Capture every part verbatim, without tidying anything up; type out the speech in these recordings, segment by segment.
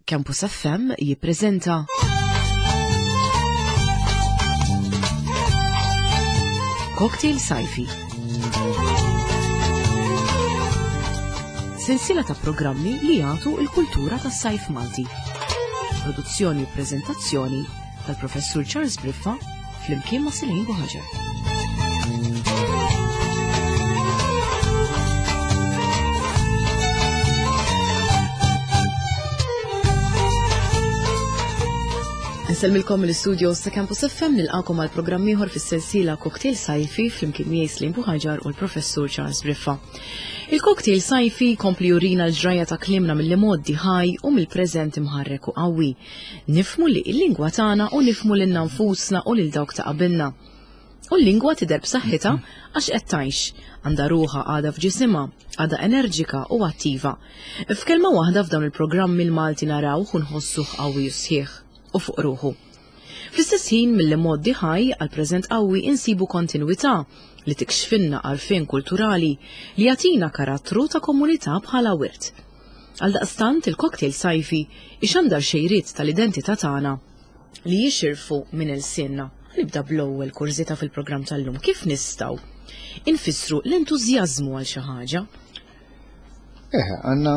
Campus F M jippreżenta Cocktail Sajfi. Sensiela ta' programmi li jagħtu l-kultura tas-sajf Malti. Produzzjoni u preżentazzjoni tal-Professur Charles Briffa flimkien ma' Celine Buhaġar. Nsellmilkom mill-istudios ta' Campus F M, nilqakom għal programm ieħor fis-sensiela Cocktail Sajfi flimkien miegħi Celine Buhaġar u l-Professur Charles Briffa. Il-Cocktail Sajfi kompli jurina l-ġrajja ta' kliemna mill-imgħoddi ħaj u mill-preżent imħarrek u qawwi. Nifhmu li l-lingwa tagħna u nifhmu lilna nfusna u lil dawk ta' qabilna. U l-lingwa tidher b'saħħitha għax qed tgħix, għandha ruħha għadha f'ġisimha, għadha enerġika u attiva. F'kelma waħda f'dawn il-programmi l-Malti narawh u nħossuh qawwi u sħiħ u fuq ruħu. Fl-istess ħin mill-imgħoddi ħaj għal preżent qawwi insibu kontinwità li tikxfinna għarfien kulturali li jagħtina karattru ta' komunità bħala wirt. Għaldaqstant il-Cocktail Sajfi ixandar xejriet tal-identità tagħna li jixirfu minn ilsienna. Nibda bl-ewwel kurżità fil-programm tal-lum. Kif nistgħu infissru l-entużjażmu għal xi ħaġa? Eh, għandna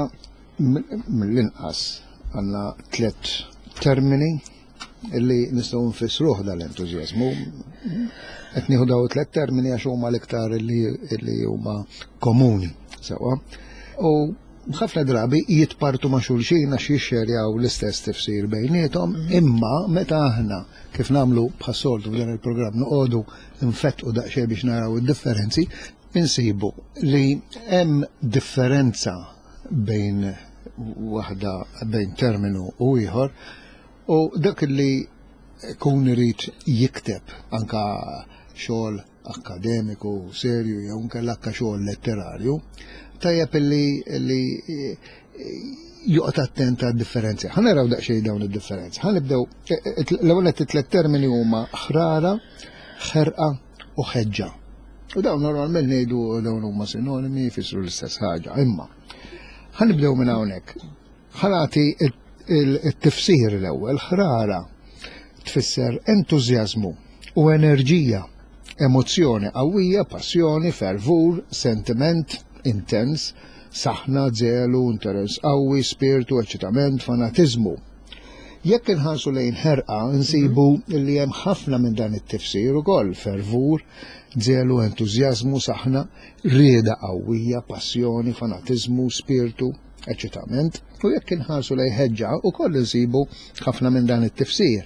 mill-inqas għandna tliet termini illi nistgħu nfissruh dal-entużjażmu. Qed nieħu daw tliet termini għax huma l-iktar illi, illi huma komuni sewwa. U ħafna drabi jitpartu ma' xulxin għax jixxerjaw l-istess tifsir bejniethom, imma meta aħna kif nagħmlu bħas-soltu f'dan il-programm noqogħdu nfettqu daqsxejn biex naraw id-differenzi, insibu li hemm differenza bejn waħda bejn terminu u ieħor, u dak li kun irid jikteb anka xogħol akademiku serju jew inkella anka xogħol letterarju, tajjeb illi, illi joqgħod attent għad-differenzi. Ħa naraw daqsxejn dawn id-differenzi. Ħa nibdew, l-ewwel nett it-tliet termini huma ħrara, ħerqa u ħeġġa. U dawn normalment ngħidu dawn huma sinonimi, jfissru l-istess ħaġa, imma ħa nibdew minn hawnhekk. Ħa nagħti it-tifsir l-ewwel. Ħrara tfisser entużjażmu u enerġija, emozzjoni qawwija, passjoni, fervur, sentiment intens, saħna, żelu, interess qawwi, spiritu, eċitament, fanatiżmu. Jekk inħarsu lejn ħerqa, nsibu li hemm ħafna minn dan it-tifsir ukoll, fervur, żelu, entużjażmu, saħna, rieda qawwija, passjoni, fanatiżmu, spiritu, eċitament. U jekk inħarsu lejn ħeġġa, ukoll insibu ħafna minn dan it-tifsir.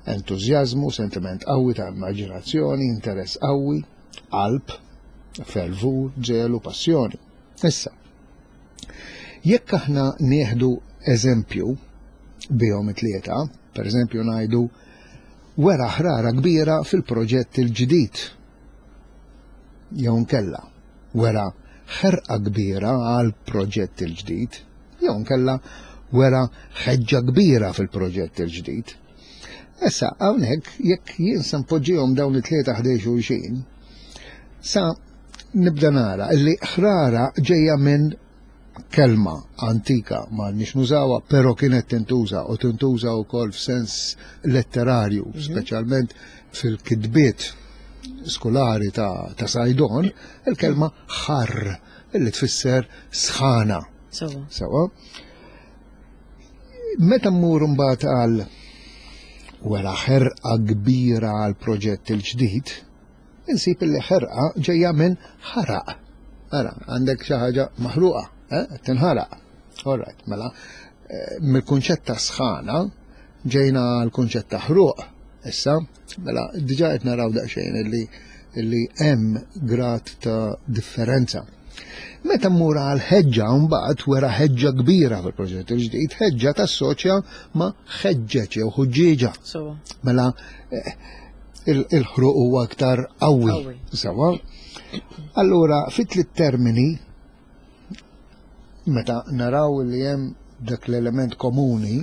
Entużjażmu, sentiment qawwi ta' immaġinazzjoni, interess qawwi, qalb, fervur, żelu, passjoni. Issa, jekk aħna nieħdu eżempju bihom it-tlieta, per eżempju ngħidu wera ħrara kbira fil-proġett il-ġdid, jew nkella wera ħerqa kbira għal proġett il-ġdid, jew nkella wera ħeġġa kbira fil-proġett il-ġdid. Issa, hawnhekk jekk jien se npoġġihom dawn it-tlieta ħdejn xulxin, sa nibda nara li ħrara ġejja minn kelma antika ma nix nużawha, però kienet tintuża u tintuża wkoll f'sens letterarju, Mhm. speċjalment fil-kitbiet skolari ta', ta' Saydon, il-kelma ħar illi tfisser sħana. Sewa. Sewa. Meta mmur mbagħad għal wara ħerqa kbira għal proġett il-ġdid, insib li ħerqa ġejja minn ħaraq. Ara, għandek xi ħaġa maħruqa, eh, tinħaraq. All right, mela, eh, mill-kunċett ta' sħana ġejna għal kunċett ta' ħruq. Issa, mela, diġà qed naraw daqsxejn illi, illi hemm grad ta' differenza. Meta mmur għal ħeġġa mbagħad wera ħeġġa kbira fil-proġett il-ġdid, ħeġġa tassoċja ma' ħeġġeġ jew ħuġġieġa. Sewa. Mela, eh, il-, il-ħruq huwa aktar qawwi. Qawwi. Sewa. Allura, fit tliet termini, meta naraw li hemm dak l-element komuni,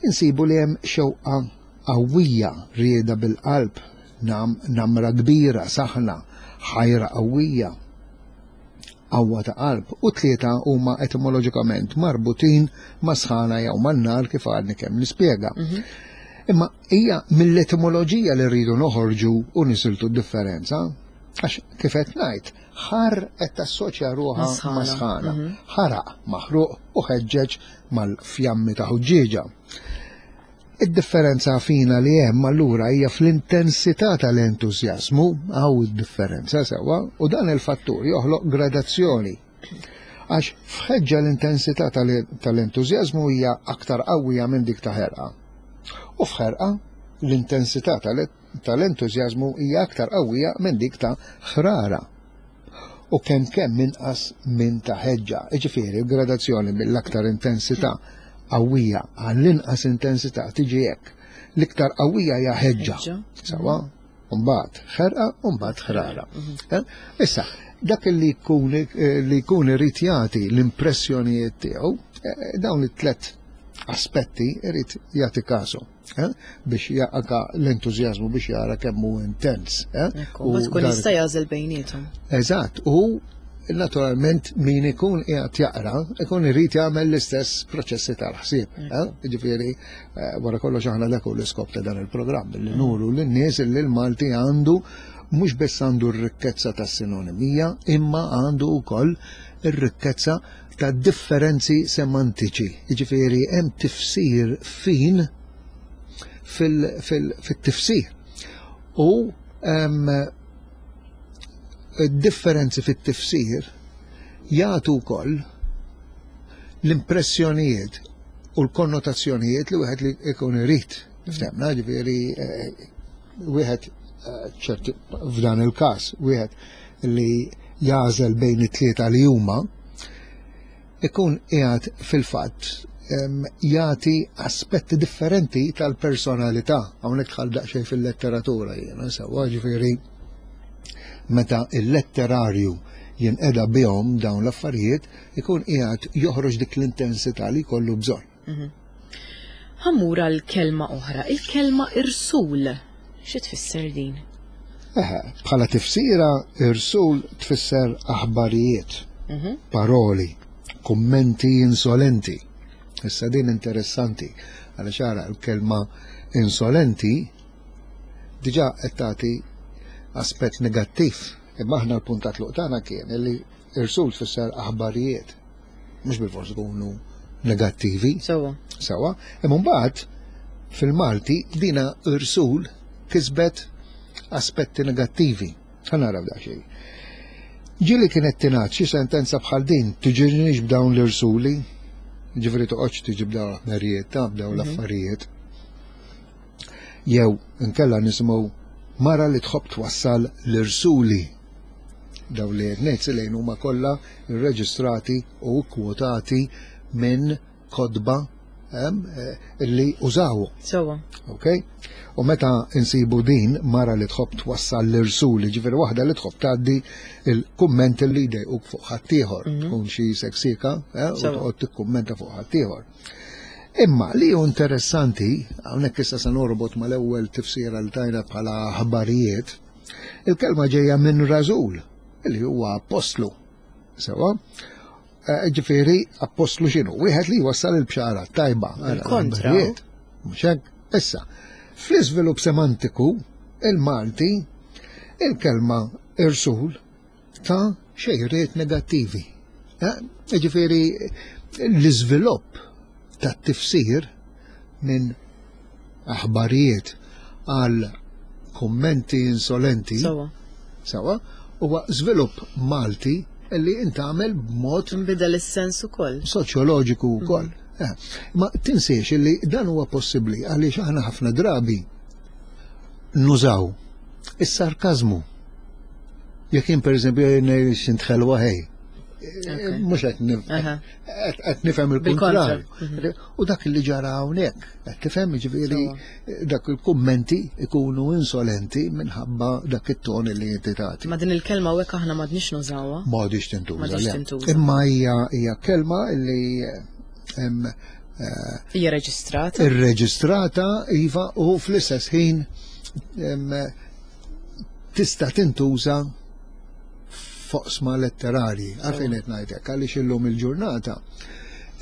insibu li hemm xewqa qawwija, rieda bil-qalb, nam-, namra kbira, saħna, ħajra qawwija. qawwa ta' qalb, u tlieta huma etimoloġikament marbutin ma' sħana jew man-nar kif għadni kemm nispjega. Mhm. Imma hija mill-etimoloġija li rridu noħorġu u nisiltu d-differenza, għax kif qed ngħid, ħar qed tassoċja ruħha ma' sħana, Mhm. ħaraq maħruq u ħeġġeġ mal-fjammi ta' ħuġġieġa. Id-differenza fina li hemm allura hija fl-intensità tal-entużjażmu, hawn id-differenza sewwa, u dan il-fattur joħloq gradazzjoni. Għax f'ħeġġa l-intensità tal-entużjażmu hija aktar qawwija minn dik ta' ħerqa. U f'ħerqa l-intensità tal-entużjażmu hija aktar qawwija minn dik ta' ħrara. U kemm kemm inqas minn ta' ħeġġa. Jiġifieri l-gradazzjoni mill-aktar intensità qawwija għall-inqas intensità tiġi hekk. L-iktar qawwija hija ħeġġa. Sewwa, mbagħad ħerqa u mbagħad ħrara. Mhm. Issa, dak li jkun li jkun irid jagħti l-impressjonijiet tiegħu, eh, dawn it-tlet aspetti irid jagħti kasu eh, biex jaqqa l-entużjażmu biex jara kemm hu intens. eh, Ekku, ma tkun jista' jagħżel bejniethom. Eżatt, u naturalment min ikun qiegħed jaqra, ikun irid jagħmel l-istess proċessi tal-ħsieb. eh? Jiġifieri, eh, wara kollox aħna dak hu l-iskop ta' dan il-programm, li nuru lin-nies li l-Malti għandu mhux biss għandu r-rikkezza tas-sinonimija, imma għandu wkoll ir-rikkezza ta' differenzi semantiċi. Jiġifieri hemm tifsir fin fil-tifsir. U em, differenzi fit-tifsir jagħtu wkoll l-impressjonijiet u l-konnotazzjonijiet li wieħed li ikun irid. Ftemna, ġifieri eh, wieħed eh, ċerti f'dan il-każ wieħed li jagħżel bejn it-tlieta li huma ikun qiegħed fil-fatt em, jagħti aspetti differenti tal-personalità. Hawnhekk dħal daqsxejn fil-letteratura jiena sewwa ġifieri meta il-letterarju jinqeda bihom dawn l-affarijiet ikun qiegħed joħroġ dik l-intensità li jkollu bżonn. Ħa mmur għal kelma oħra, il-kelma irsul. Xi tfisser din? Eħe, bħala tifsira irsul tfisser aħbarijiet, Mhm. paroli, kummenti insolenti. Issa din interessanti, għaliex ara l-kelma insolenti diġà qed tagħti aspett negattiv. Imma aħna l-punt ta' tluq tagħna kien li irsul tfisser aħbarijiet. Mhux bilfors ikunu negattivi. Sewwa. Sewwa, imma mbagħad fil-Malti dina irsul kisbet aspetti negattivi. Ħa naraw daqsxejn. Ġieli kienet tingħad xi sentenza bħal din tiġinix b'dawn l-irsuli, ġifieri toqgħodx tiġi b'dawn l-aħmerijiet ta' b'dawn l-affarijiet. Jew inkella nisimgħu mara li tħobb twassal l-irsuli. Dawn li qed ngħid lejn huma kollha irreġistrati u kwotati minn kotba em, eh, li użaw. Sewwa. Ok? U meta insibu din mara li tħobb twassal l-irsuli, ġifieri waħda li tħobb tgħaddi il-kummenti li jdejquk fuq ħaddieħor, tkun xi seksika, eh, u Sewwa. toqgħod tikkummenta fuq ħaddieħor. Imma li hu interessanti, hawnhekk issa se norbot mal-ewwel tifsira li tajna bħala aħbarijiet, il-kelma ġejja minn rażul, li huwa apostlu. Sewwa? Eh, Ġifieri, apostlu x'inhu? Wieħed li jwassal il-bxara tajba. Il-kontra. L-aħbarijiet. Mhux hekk? Issa, fl-iżvilupp semantiku, il-Malti, il-kelma irsul ta' xejriet negattivi. Eh, Ġifieri, l-iżvilupp ta' tifsir minn aħbarijiet għal kummenti insolenti, Sewwa. sewwa, huwa żvilupp Malti li intgħamel b'mod Nbidel is-sens ukoll. soċjoloġiku wkoll. Eh, Ma tinsiex li dan huwa possibbli għaliex aħna ħafna drabi nużaw is-sarkażmu. Jekk jien pereżempju ngħid x'int ħelwa ħej. Mhux qed nif- Aha. qed qed nifhem Bil-kontra. il-kontrarju. U dak li ġara hawnhekk, qed tifhem jiġifieri dak il-kummenti ikunu insolenti minħabba dak it-ton li inti tagħti. Ma din il-kelma hekk aħna m'għadniex nużawha. M'għadix tintuża. M'għadix le. tintuża. Imma hija hija kelma li hemm eh, Hija reġistrata. irreġistrata iva u fl-istess ħin em, tista' tintuża f'oqsma letterarji. Għalfejn qed ngħidlek, għaliex illum il-ġurnata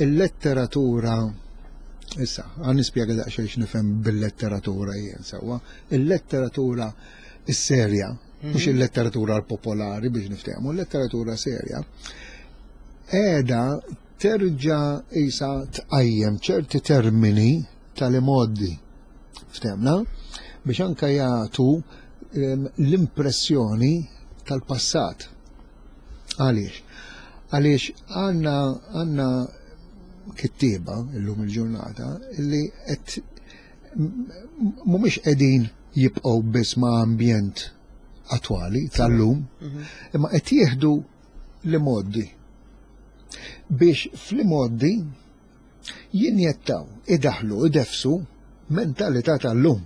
il-letteratura, issa, ħa nispjega daqsxejn x'nifhem bil-letteratura jien sewwa. Il-letteratura is-serja, mhux il-letteratura l-popolari biex niftehmu, il-letteratura serja, qiegħda terġa' isa tqajjem ċerti termini tal-imgħoddi. Ftehmna? Biex anka jagħtu l-impressjoni tal-passat. Għaliex? Għaliex għandna għandna kittieba illum il-ġurnata illi qed mhumiex qegħdin jibqgħu biss ma' ambjent attwali tal-lum, imma qed jieħdu l-imgħoddi biex fl-imgħoddi jinjettaw, idaħlu, idefsu mentalità tal-lum.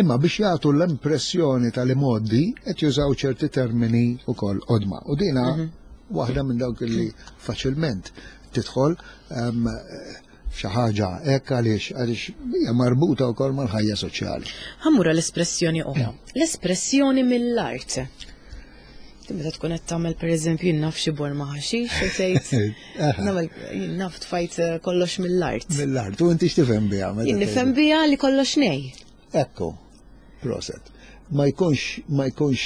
Imma biex jagħtu l-impressjoni tal-imgħoddi qed jużaw ċerti termini wkoll qodma. U dina waħda minn dawk li faċilment tidħol xi ħaġa hekk għaliex għaliex hija marbuta wkoll mal-ħajja soċjali. Ħa mmur l-espressjoni oħra. L-espressjoni mill-art. Meta tkun qed tagħmel, pereżempju, jien naf, xi borma ħaxix u tgħid nagħmel, jien naf, tfajt kollox mill-art. Mill-art, u inti x'tifhem biha? Jien nifhem biha li kollox nej. Ekku, proset. Ma jkunx ma jkunx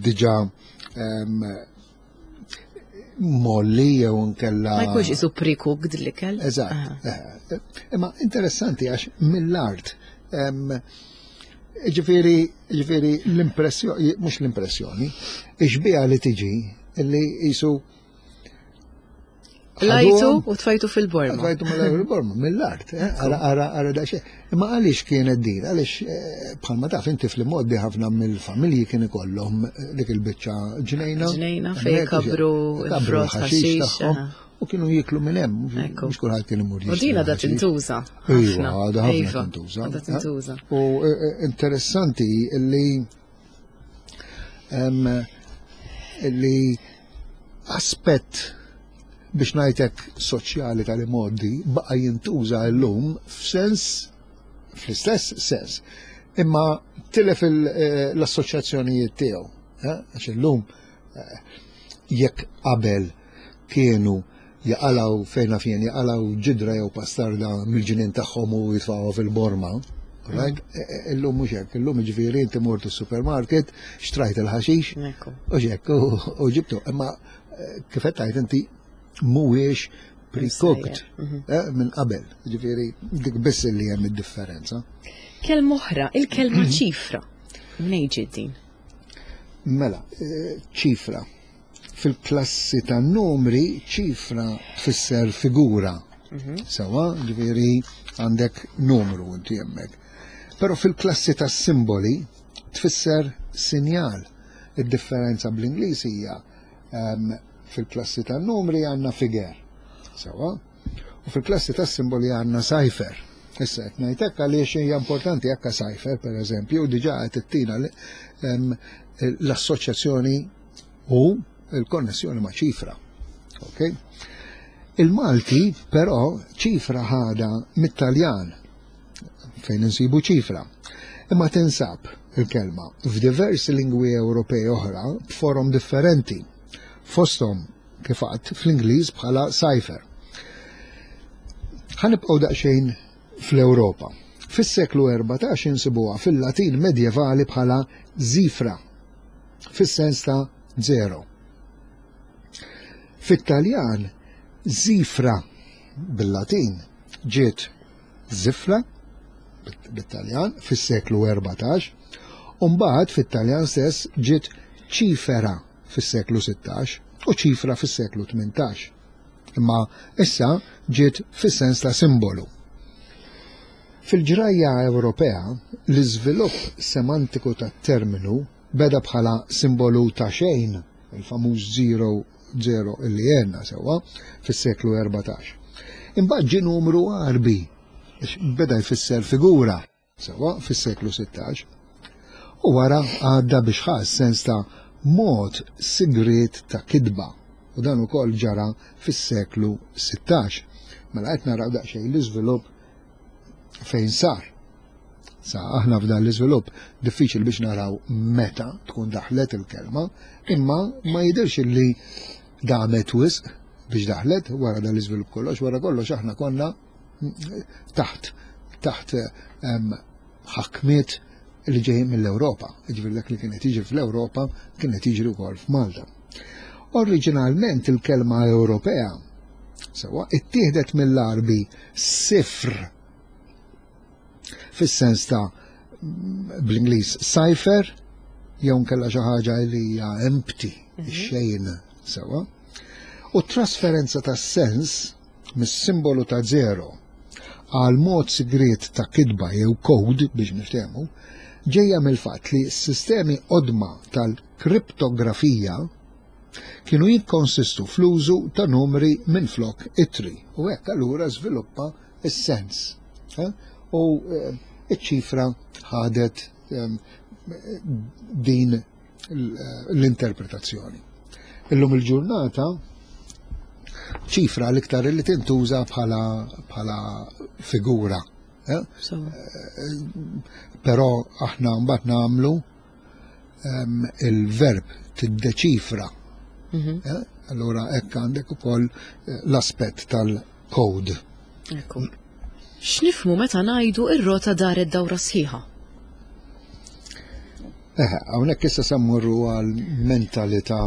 diġà molli jew nkella. Ma jkunx isu pre-cooked l-ikel. Eżatt. Imma interessanti għax mill-art, ġifieri, ġifieri l-impressjoni, mhux l-impressjoni, ix-xbieha li tiġi li jisu Lajtu u tfajtu fil-borma. Tfajtu fil-borma, mill-art, ara, ara, ara da. Imma għaliex kienet din? Għaliex bħalma taf inti fl-imgħoddi ħafna mill-familji kien ikollhom dik il-biċċa ġnejna. Ġnejna fej kabru il-frott, ħaxix. U kienu jiklu minn hemm, mhux kulħadd kien imur. U din għadha tintuża. Iva, għadha ħafna tintuża. Għadha tintuża. U interessanti li li aspett biex ngħidlek soċjali tal-imgħoddi baqa' jintuża llum f'sens, fl-istess sens, imma tilef l-assoċjazzjonijiet tiegħu. Għax illum jekk qabel kienu jaqalaw fejna fien jaqalaw ġidra jew pastarda mill-ġinien tagħhom u jitfgħuha fil-borma, right? Illum mhux hekk, illum ġifieri inti mort is-supermarket, xtrajt il-ħaxix, u hekk u ġibtu. Imma kif qed tgħid inti, mhuwiex pre-cooked minn qabel. Ġifieri dik biss li hemm id-differenza. Kelma oħra, il-kelma ċifra. Mnejn ġiet din? Mela, ċifra. Fil-klassi ta' numri, ċifra tfisser figura. Sewwa, ġifieri għandek numru inti hemmhekk. Però fil-klassi ta' simboli tfisser sinjal. Id-differenza bl-Ingliż hija fil-klassi ta' numri għandna figure. Sewwa, u fil-klassi ta' simboli għandna cipher. Issa qed ngħidlek għaliex hija importanti hekk cipher, pereżempju, diġà qed ittina l-assoċjazzjoni u il-konnessjoni ma' ċifra. Ok? Il-Malti, però, ċifra ħada mit-Taljan, fejn insibu ċifra. Imma tinsab il-kelma f'diversi lingwi Ewropej oħra b'forom differenti. Fosthom kif għedt fl-Ingliż bħala cipher. Ħa nibqgħu daqsxejn fl-Ewropa. Fis-seklu erbatax insibuha fil-Latin medjevali bħala zifra, fis-sens ta' zero. Fit-Taljan, zifra bil-Latin ġiet zifra bit-Taljan fis-seklu erbatax, u mbagħad fit-Taljan stess ġiet ċifera fis-seklu sittax u ċifra fis-seklu tmintax. Imma issa ġiet fis-sens ta' simbolu. Fil-ġrajja Ewropea, l-iżvilupp semantiku tat-terminu beda bħala simbolu ta' xejn, il-famuż zero zero illi għedna sewwa fis-seklu erbatax. Imbagħad ġie numru Għarbi, beda jfisser figura sewwa fis-seklu sittax. U wara għadda biex ħa sens ta' mod sigriet ta' kidba. U dan ukoll ġara fis-seklu sittax. Mela qed naraw daqsxejn l-iżvilupp fejn sar. Sa aħna f'dan l-iżvilupp diffiċli biex naraw meta tkun daħlet il-kelma, imma ma jidirx li damet wisq biex daħlet wara dan l-iżvilupp kollox, wara kollox aħna konna taħt taħt ħakmiet li ġejjin mill-Ewropa. Ġifieri dak li kienet jiġri fl-Ewropa kienet jiġri wkoll f'Malta. Oriġinalment il-kelma Ewropea sewwa ittieħdet mill-Arbi sifr fis-sens ta' bl-Ingliż cipher jew nkella xi ħaġa li hija empty, mhm. xejn sewwa. U trasferenza ta' sens mis-simbolu ta' zero għal mod sigriet ta' kitba jew code biex niftehmu, ġejja mill-fatt li s-sistemi qodma tal-kriptografija kienu jikkonsistu fl-użu ta' numri minn flok ittri u hekk allura żviluppa s-sens. Eh? U eh, iċ-ċifra ħadet ehm, din l-interpretazzjoni. Illum il-ġurnata ċifra l-iktar li tintuża bħala bħala figura. Eh? Però aħna mbagħad nagħmlu ehm, il-verb tiddeċifra. Mhm. Eh? Allura hekk għandek ukoll eh, l-aspett tal-code. Ekku. X'nifhmu meta ngħidu ir-rota daret dawra sħiħa? Eħe, hawnhekk issa se mmorru għal mentalità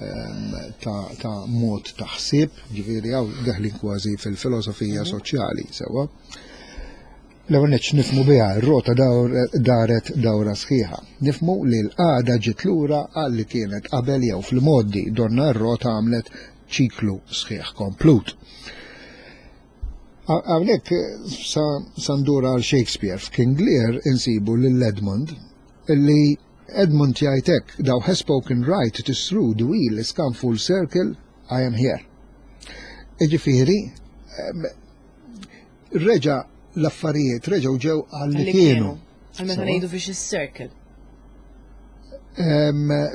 ehm, ta', ta mod ta' ħsieb, ġifieri hawn deħlin kważi fil-filosofija mhm. soċjali, sewwa. L-ewwel nett nifhmu biha r-rota daret dawra sħiħa. Nifhmu li l-qagħda ġiet lura għal li kienet qabel jew fil-modi donna r-rota għamlet ċiklu sħiħ komplut. Hawnhekk sa ndur għal Shakespeare f'King Lear insibu lil Edmund illi Edmund jgħidlek, thou hast spoken right, it is true, the wheel is come full circle, I am here. Iġifieri, reġa l-affarijiet, reġgħu ġew għal li kienu. Għal meta ngħidu vicious circle.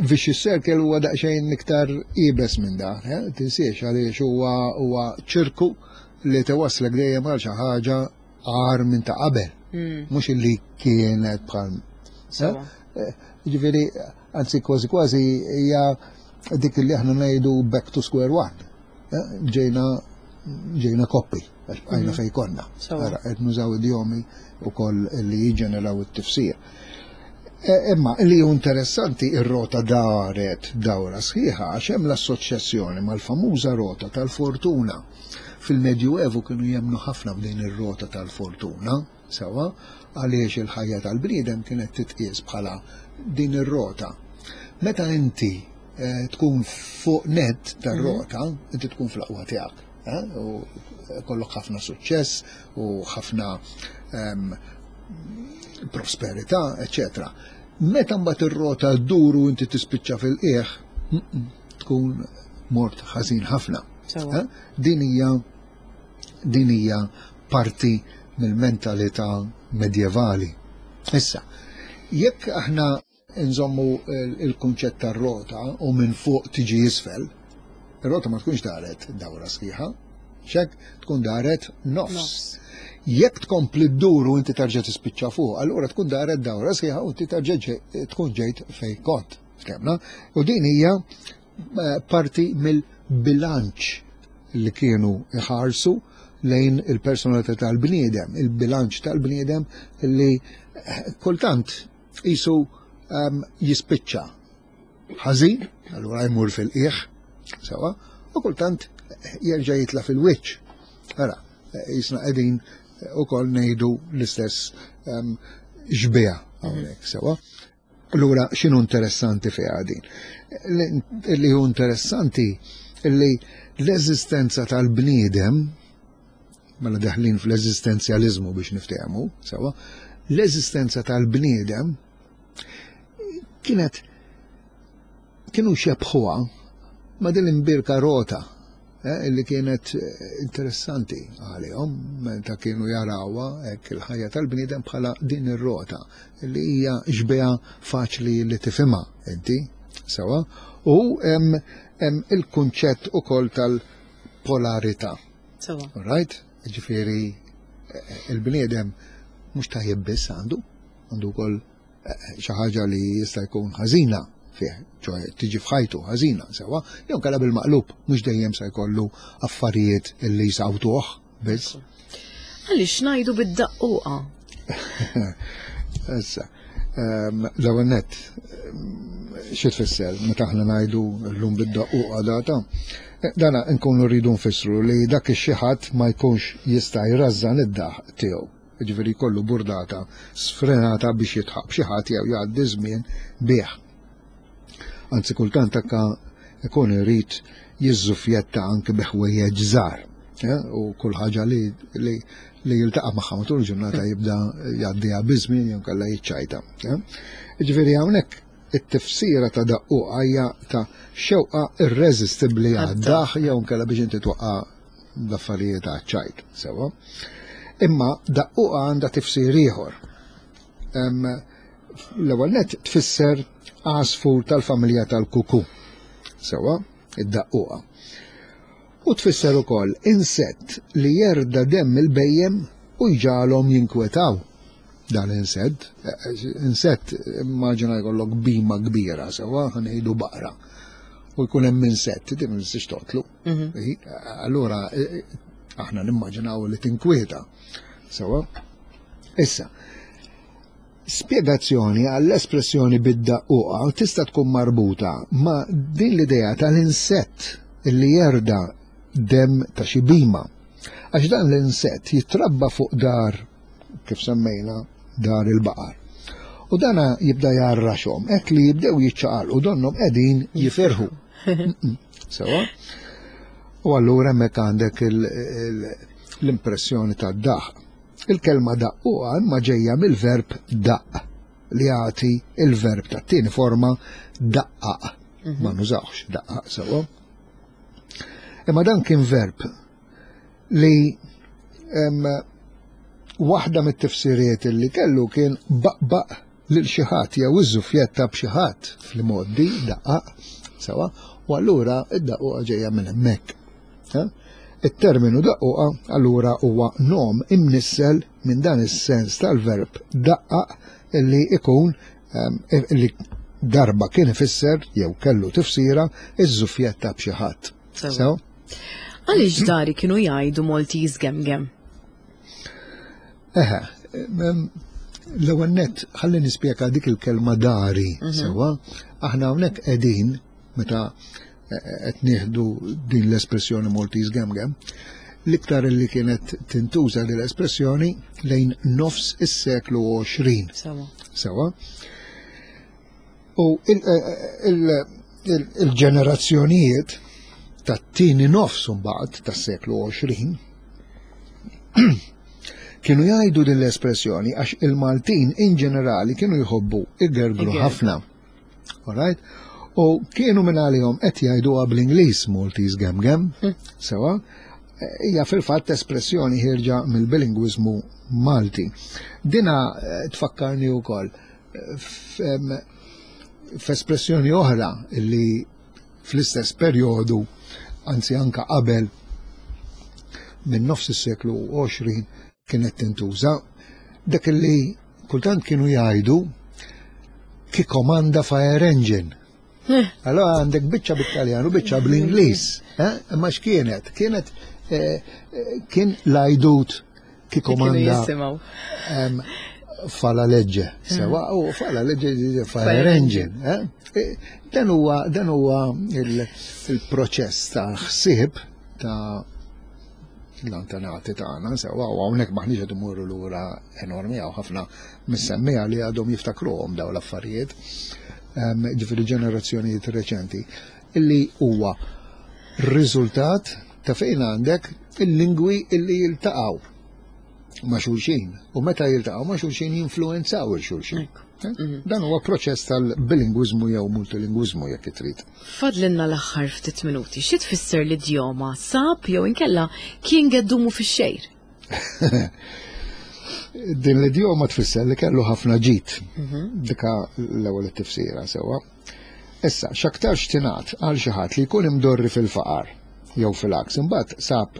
Vicious circle huwa daqsxejn iktar iebes minn dan, eh? tinsiex għaliex huwa huwa ċirku li tewaslek dejjem għal xi ħaġa agħar minn ta' qabel. Hmm. Mhux illi kienet bħal. Eh, ġifieri, anzi kważi kważi hija dik li aħna ngħidu back to square one. Eh, ġejna ġejna koppi, għax bqajna mhm. fej konna. Ara, qed nużaw idjomi wkoll li jiġġeneraw it-tifsir. E, imma li hu interessanti ir-rota daret dawra sħiħa għax hemm l-assoċjazzjoni mal-famuża rota tal-fortuna. Fil-Medjuevu kienu jemnu ħafna f'din ir-rota tal-fortuna, sewwa, għaliex il-ħajja tal-bniedem kienet titqies bħala din ir-rota. Meta inti eh, tkun fuq net tar-rota, mhm. inti tkun fl-aqwa tiegħek. Eh, u kollok ħafna suċċess u ħafna ehm, prosperità, eccetera. Meta mbagħad ir-rota ddur u inti tispiċċa fil-qiegħ, tkun mort ħażin ħafna. Eh? Din hija din hija parti mill-mentalità medjevali. Issa, jekk aħna nżommu il-kunċett tar-rota u minn fuq tiġi isfel, ir-rota ma tkunx daret dawra sħiħa, xek tkun daret nofs. Jekk tkompli ddur u inti tarġa tispiċċa fuq, allura tkun daret dawra sħiħa u inti tarġa tkun ġejt fej kont. Ftehmna? U din hija eh, parti mill-bilanċ li kienu iħarsu lejn il-personalità tal-bniedem, il-bilanċ tal-bniedem li eh, kultant jisu um, jispiċċa ħażin, allura jmur fil-qiegħ, sewwa, u kultant jerġa' jitla fil-wiċċ. Ara, jisna qegħdin ukoll ngħidu l-istess um, xbieha hawnhekk, sewwa. Allura, x'inhu interessanti fiha din? Li hu interessanti li l-eżistenza tal-bniedem, mela deħlin fl-eżistenzjalizmu biex niftehmu, sewwa, l-eżistenza tal-bniedem kienet kienu xebħuha ma' din imbirka rota eh, illi kienet eh, interessanti għalihom meta kienu jarawha hekk il-ħajja tal-bniedem bħala din ir-rota li hija xbieha faċli li tifhimha inti sewwa u hemm il-kunċett ukoll tal-polarità. Sewwa. Right? Ġifieri eh, il-bniedem mhux tajjeb biss għandu, Għandu wkoll xi ħaġa li jista' jkun ħażina fih, ċoè tiġi f'ħajtu ħażina, sewa, jew kalla bil-maqlub, mhux dejjem se jkollu affarijiet li jsawtuh biss. Għaliex ngħidu bid-daqquqa? Issa, l-ewwel nett, xi tfisser meta aħna ngħidu llum bid-daqquqa data? Dana nkunu rridu nfissru li dak ix-xi ħadd ma jkunx jista' jrażżan id-daħq tiegħu. Jiġifieri jkollu burdata sfrenata biex jitħaq b'xi ħadd jew jgħaddi żmien bih. Anzi kultant anke ikun irid jiżżufjetta anke bi ħwejjeġ żgħar. U kull ħaġa li li jiltaqa' magħha matul il-ġurnata jibda jgħaddiha biż-żmien jew kellha jiċċajta. Jiġifieri hawnhekk it-tifsira ta' daqquqa hija ta' xewqa irreżistibbli għad-daħ jew inkella biex inti twaqqa' l-affarijiet għaċ-ċajt, sewwa. Imma daqquqa għandha tifsir ieħor. L-ewwel nett tfisser għasfur tal-familja tal-kuku. Sewwa, id-daqquqa. U tfisser ukoll insett li jerda demm il-bhejjem u jġagħalhom jinkwetaw. Dan insett, insett immaġina jkollok bima kbira, sewwa, ħa ngħidu baqra. U jkun hemm insett, din ma tistax toqtlu. Allura aħna nimmaġinaw li tinkwieta. Sewwa. Issa, spjegazzjoni għall-espressjoni bid-daqquqa tista' tkun marbuta ma' din l-idea tal-insett li jerda dem ta' xi bima. Għax dan l-insett jitrabba fuq dar, kif semmejna, dar il-baqar. U dana jibda jarraxhom, hekk li jibdew jiċċaqalqu donnhom qegħdin jifirħu. Sewwa? U allura hemmhekk għandek l-impressjoni tad-daħq. Il-kelma daqquqa imma ġejja mill-verb daqq li jagħti il-verb tat-tieni forma daqqaq. Ma nużawx daqqaq sewwa. Imma dan kien verb li waħda mit-tifsiriet li kellu kien baqbaq lil xi ħadd jew iżżufjetta b'xi ħadd fl-modi daqqaq sewwa, u allura id-daqquqa ġejja minn hemmhekk. Il-terminu daqquqa allura huwa nom imnissel minn dan is-sens tal-verb daqqaq illi ikun illi darba kien ifisser jew kellu tifsira iż-żufjetta b'xi ħadd. Sew? Għaliex dari kienu jgħidu Maltese gemgem? Eħe, l-ewwel nett ħalli nispjega dik il-kelma dari, sewwa, aħna hawnhekk qegħdin meta qed nieħdu din l-espressjoni Maltese gemgem, l-iktar li kienet tintuża din l-espressjoni lejn nofs is-seklu għoxrin. Sewa. Sewa. U il-ġenerazzjonijiet tat-tieni nofs mbagħad tas-seklu għoxrin kienu jgħidu din l-espressjoni għax il-Maltin in ġenerali kienu jħobbu igergru ħafna. Alright? U kienu minn għalihom qed jgħiduha bl-Ingliż Maltese gemgem, sewa, hija fil-fatt espressjoni ħierġa mill-bilingwiżmu Malti. Dina tfakkarni wkoll f'espressjoni oħra illi fl-istess perjodu, anzi anka qabel minn nofs is-seklu għoxrin kienet tintuża, dak li kultant kienu jgħidu chi comanda fire engine. Allora għandek biċċa bit-Taljan u biċċa bl-Ingliż. Imma x'kienet? Kienet kien l-għajdut chi comanda fa la legge. Sewa, u fa la legge fire engine. Dan huwa dan huwa il-proċess ta' ħsieb ta' l-antenati tagħna, sewa, u hawnhekk maħniex qed imorru lura enormi, hawn ħafna mis-semmiegħa li għadhom jiftakruhom dawn l-affarijiet. Ġifieri ġenerazzjonijiet reċenti, illi huwa riżultat ta' fejn għandek il-lingwi illi jiltaqgħu ma' xulxin u meta jiltaqgħu ma' xulxin jinfluenzaw il xulxin. Dan huwa proċess tal-bilingwiżmu jew multilingwiżmu jekk trid. Fadlinna l-aħħar ftit minuti. Xi tfisser l-idjoma sab jew inkella kien geddumu fix-xejr? Din l-idjoma tfisser li kellu ħafna ġid. Dika l-ewwel tifsira sewwa. Issa, x'aktarx tingħad għal xi ħadd li jkun imdorri fil-faqar jew fil-għaks, imbagħad sab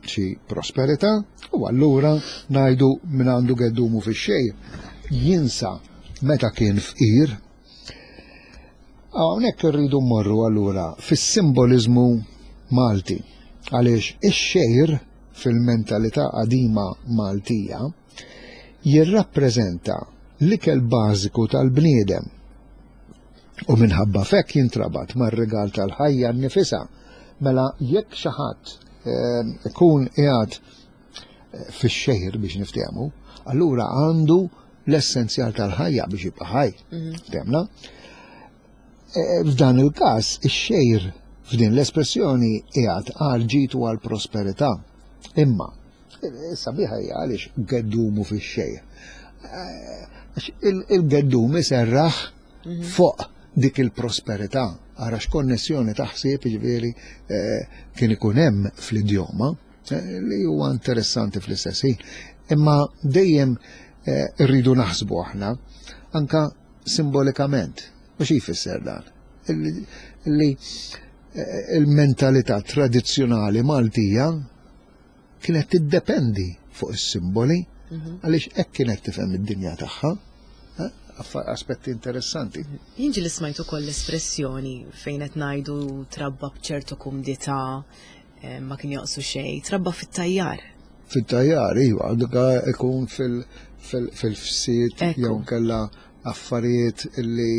xi prosperità u allura ngħidu min għandu geddumu fix-xejr. Jinsa meta kien fqir. Hawnhekk irridu mmorru allura fis-simboliżmu Malti, għaliex ix-xgħir fil-mentalità qadima Maltija jirrappreżenta l-ikel bażiku tal-bniedem u minħabba fekk jintrabat mar-rigal tal-ħajja nnifisha. Mela jekk xi ħadd ikun qiegħed fix-xgħir biex niftehmu, allura għandu l-essenzjal tal-ħajja biex jibqa' ħaj. Ftehmna? F'dan il-każ ix-xgħir f'din l-espressjoni qiegħed għal ġid u għal prosperità. Imma sabiħa hija għaliex geddumu fix-xgħir. Għax il-geddum iserraħ fuq dik il-prosperità. Ara x'konnessjoni ta' ħsieb ġifieri kien ikun hemm fl-idjoma li huwa interessanti fl-istess ħin. Imma dejjem irridu naħsbu aħna anka simbolikament. U xi jfisser dan? Li il-mentalità tradizzjonali Maltija kienet tiddependi fuq is-simboli, għaliex hekk kienet tifhem id-dinja tagħha. Aspetti interessanti. Jien ġieli smajt ukoll l-espressjoni fejn qed ngħidu trabba b'ċertu kumdità, ma kien joqsu xejn, trabba fit-tajjar. Fit-tajjar, iva, dik ikun fil-fsiet jew kellha affarijiet illi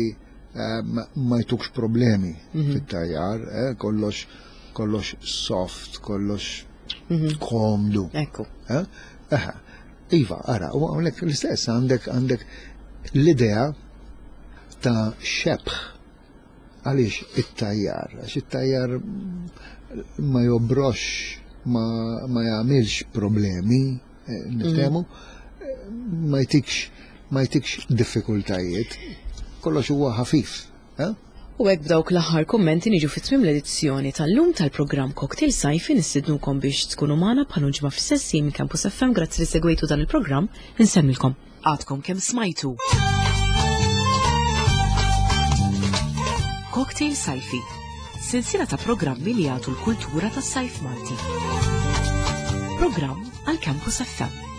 ma jtukx problemi fit-tajjar, kollox kollox soft, kollox komdu. Ekku. Iva, ara, u hawnhekk l-istess għandek għandek l-idea ta' xebħ. Għaliex it-tajjar? Għax it-tajjar ma jobrox, ma, ma jagħmilx problemi, niftehmu, ma jtikx ma jtikx diffikultajiet, kollox huwa ħafif. U hekk b'dawk l-aħħar kummenti niġu fit-tmiem l-edizzjoni tal-lum tal-programm Cocktail Sajfi. Nistidnukom biex tkunu magħna bħal ġimgħa fis-sessi minn Campus F M. Grazzi li segwejtu dan il-programm, insemmilkom. Għadkom kemm smajtu. Cocktail Sajfi, silsila ta' programmi li jagħtu l-kultura tas-sajf Malti. Programm għal Campus F M.